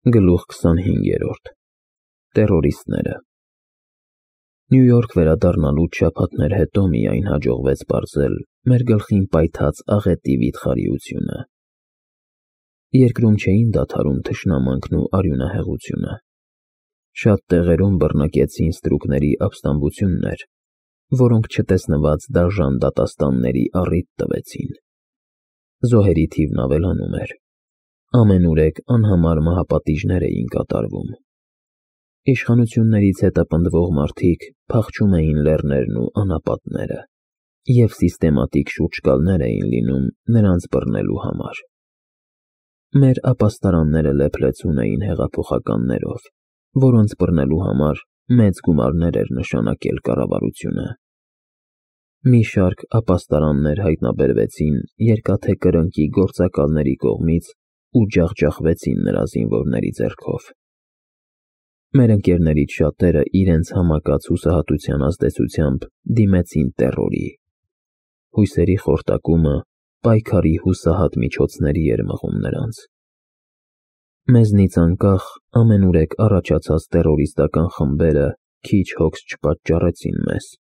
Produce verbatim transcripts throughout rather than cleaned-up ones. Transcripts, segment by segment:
Գլուխ քսանհինգերորդ Տերորիստները Նյու Յորք վերադառնալուց շաբաթներ հետո միայն հաջողվեց պարզել մեր գլխին պայթած աղետի վիթխարիությունը։ Երկրում չէին դադարում թշնամանքն ու արյունահեղությունը։ Շատ տեղերում բռնակեցին ստրուկների ապստամբություններ, որոնք չտեսնված դաժան դատաստանների առիթ տվեցին։ Զոհերի թիվն ավելանում էր։ Ամենուրեք անհամար մահապատիժներ էին կատարվում։ Իշխանություններից հետապնդվող մարդիկ փախչում էին լեռներն ու անապատները և սիստեմատիկ շուրջկալներ էին լինում նրանց բռնելու համար։ Մեր ապաստարանները լեփլեցուն էին հեղափոխականներով, որոնց բռնելու համար մեծ գումարներ էր նշանակել կառավարությունը։ Մի շարք ապաստարաններ հայտնաբերվեցին Երկաթե Կրնկի գործակալների կողմից ու ջախջախվեցին նրա զինվորների ձեռքով։ Մեր ընկերներից շատերը իրենց համակած հուսահատության ազդեցությամբ դիմեցին տեռորի։ Հույսերի խորտակումը պայքարի հուսահատ միջոցների էր մղում նրանց։ Մեզնից անկախ ամենուրեք առաջացած տերորիստական խմբերը քիչ հոգս չպատճառեցին մեզ։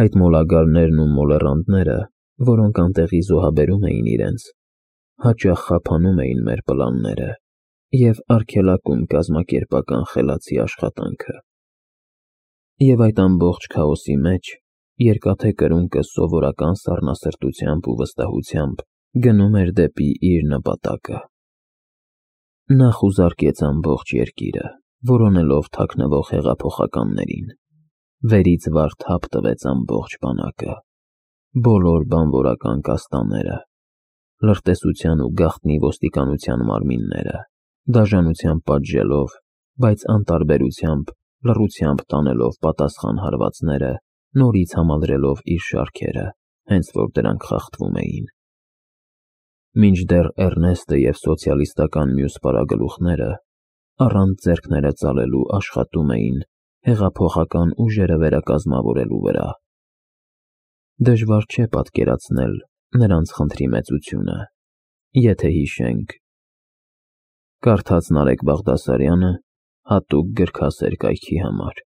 Այդ մոլագարներն ու մոլեռանդները, որոնք անտեղի զոհաբերում էին իրենց, հաճախ խափանում էին մեր պլանները և արգելակում կազմակերպական խելացի աշխատանքը։ Եվ այդ ամբողջ քաոսի մեջ Երկաթե Կրունկը սովորական սառնասրտությամբ ու վստահությամբ գնում էր դեպի իր նպատակը։ Նա խուզարկեց ամբողջ երկիրը, որոնելով թաքնվող հեղափոխականներին, վերից վար թափ տվեց ամբողջ բանակը, բոլոր բանվորական կաստաները, լրտեսության ու գաղտնի ոստիկանության մարմինները, դաժանությամբ պատժելով, բայց անտարբերությամբ, լռությամբ տանելով պատասխան հարվածները, նորից համալրելով իր շարքերը, հենց որ դրանք խախտվում էին։ Մինչդեռ Էռնեստը և սոցիալիստական մյուս պարագլուխները առանց ձեռքները ծալելու աշխատում էին հեղափոխական ուժերը վերակազմավորելու վրա։ Դժվար չէ պատկերացնել նրանց խնդրի մեծությունը, եթե հիշենք. Կարդաց Նարեկ Բաղդասարյանը հատուկ գրքասեր կայքի համար։